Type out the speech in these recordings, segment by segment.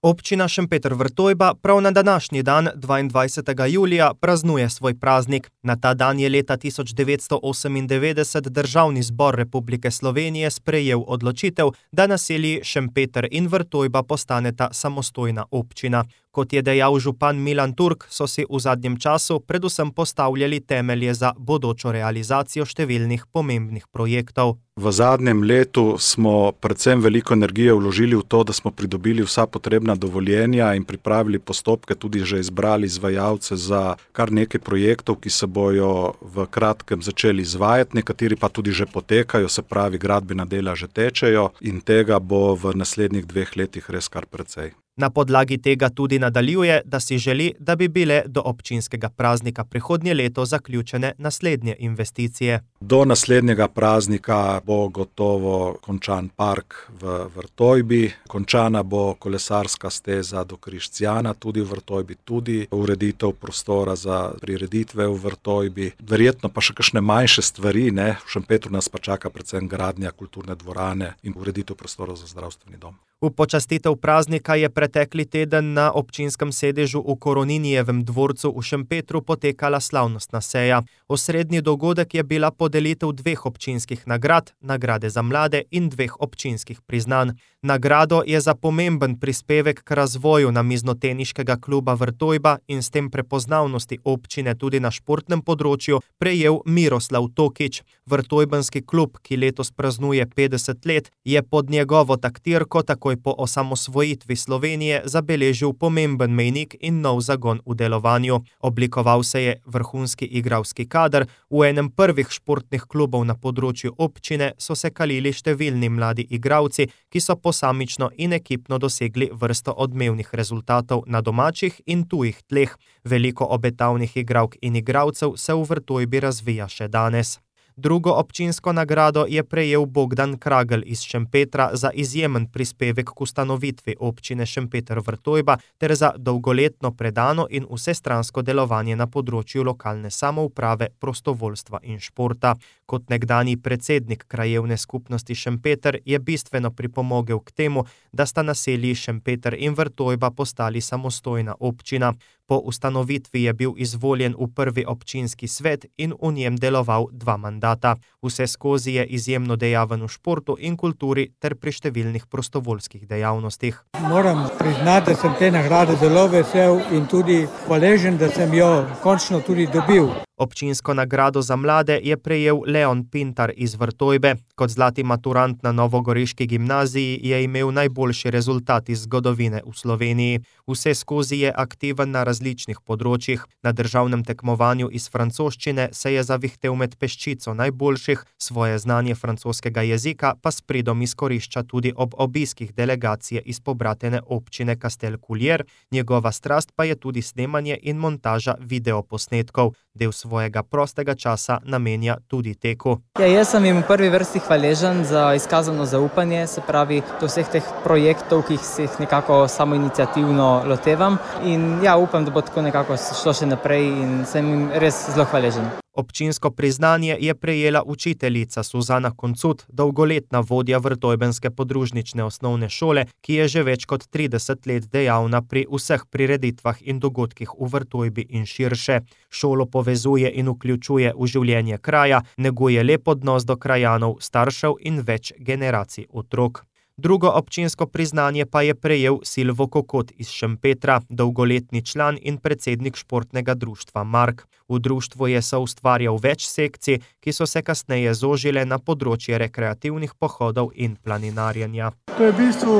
Občina Šempeter Vrtojba prav na današnji dan, 22. julija, praznuje svoj praznik. Na ta dan je leta 1998 Državni zbor Republike Slovenije sprejel odločitev, da naselji Šempeter in Vrtojba postaneta samostojna občina. Kot je dejal župan Milan Turk, so si v zadnjem času predvsem postavljali temelje za bodočo realizacijo številnih pomembnih projektov. V zadnjem letu smo predvsem veliko energije vložili v to, da smo pridobili vsa potrebna dovoljenja in pripravili postopke, tudi že izbrali izvajalce za kar nekaj projektov, ki se bojo v kratkem začeli izvajati, nekateri pa tudi že potekajo, se pravi gradbena dela že tečejo in tega bo v naslednjih 2 letih res kar precej. Na podlagi tega tudi nadaljuje, da si želi, da bi bile do občinskega praznika prihodnje leto zaključene naslednje investicije. Do naslednjega praznika bo gotovo končan park v Vrtojbi, končana bo kolesarska steza do Križcijana tudi v Vrtojbi, tudi ureditev prostora za prireditve v Vrtojbi, verjetno pa še kakšne manjše stvari, v Šempetru nas pa čaka predvsem gradnja kulturne dvorane in ureditev prostorov za zdravstveni dom. V počastitev praznika je pretekli teden na občinskem sedežu v Koroninijevem dvorcu v Šempetru potekala slavnostna seja. Osrednji dogodek je bila podelitev 2 občinskih nagrad, nagrade za mlade in 2 občinskih priznanj. Nagrado je za pomemben prispevek k razvoju namiznoteniškega kluba Vrtojba in s tem prepoznavnosti občine tudi na športnem področju prejel Miroslav Tokič. Vrtojbenski klub, ki letos praznuje 50 let, je pod njegovo taktirko takoj po osamosvojitvi Slovenije zabeležil pomemben mejnik in nov zagon v delovanju. Oblikoval se je vrhunski igralski kader, v enem prvih športnih klubov na področju občine so se kalili številni mladi igralci, ki so posamično in ekipno dosegli vrsto odmevnih rezultatov na domačih in tujih tleh. Veliko obetavnih igralk in igralcev se v Vrtojbi razvija še danes. Drugo občinsko nagrado je prejel Bogdan Kragl iz Šempetra za izjemen prispevek k ustanovitvi občine Šempeter Vrtojba ter za dolgoletno predano in vsestransko delovanje na področju lokalne samouprave, prostovoljstva in športa. Kot nekdanji predsednik krajevne skupnosti Šempeter je bistveno pripomogel k temu, da sta naselji Šempeter in Vrtojba postali samostojna občina. Po ustanovitvi je bil izvoljen v prvi občinski svet in v njem deloval 2 mandata. Vseskozi je izjemno dejaven v športu in kulturi ter pri številnih prostovoljskih dejavnostih. Moram priznati, da sem te nagrade zelo vesel in tudi hvaležen, da sem jo končno tudi dobil. Občinsko nagrado za mlade je prejel Leon Pintar iz Vrtojbe. Kot zlati maturant na novogoriški gimnaziji je imel najboljši rezultat iz zgodovine v Sloveniji. Vseskozi je aktiven na različnih področjih. Na državnem tekmovanju iz francoščine se je zavihtel med peščico najboljših, svoje znanje francoskega jezika pa s pridom izkorišča tudi ob obiskih delegacije iz pobratene občine Castelculier. Njegova strast pa je tudi snemanje in montaža videoposnetkov. Del svojega prostega časa namenja tudi teku. Jaz sem jim v prvi vrsti hvaležen za izkazano zaupanje, se pravi do vseh teh projektov, ki se jih nekako samoiniciativno lotevam in upam, da bo tako nekako šlo še naprej in sem jim res zelo hvaležen. Občinsko priznanje je prejela učiteljica Suzana Koncut, dolgoletna vodja vrtojbenske podružnične osnovne šole, ki je že več kot 30 let dejavna pri vseh prireditvah in dogodkih v Vrtojbi in širše. Šolo povezuje in vključuje v življenje kraja, neguje lep odnos do krajanov, staršev in več generacij otrok. Drugo občinsko priznanje pa je prejel Silvo Kokot iz Šempetra, dolgoletni član in predsednik športnega društva Mark. V društvu je soustvarjal več sekcij, ki so se kasneje zožile na področje rekreativnih pohodov in planinarjenja. To je v bistvu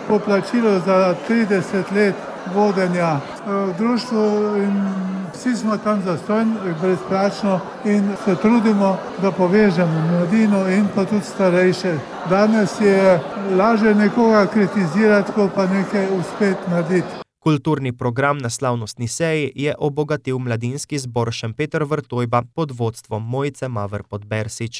poplačilo za 30 let vodenja v društvu in vsi smo tam zastonj, brezplačno in se trudimo, da povežemo mladino in pa tudi starejše. Danes je lažje nekoga kritizirati, kot pa nekaj uspeti narediti. Kulturni program na slavnostni seji je obogatil mladinski zbor Šempeter Vrtojba pod vodstvom Mojce Maver Podbersič.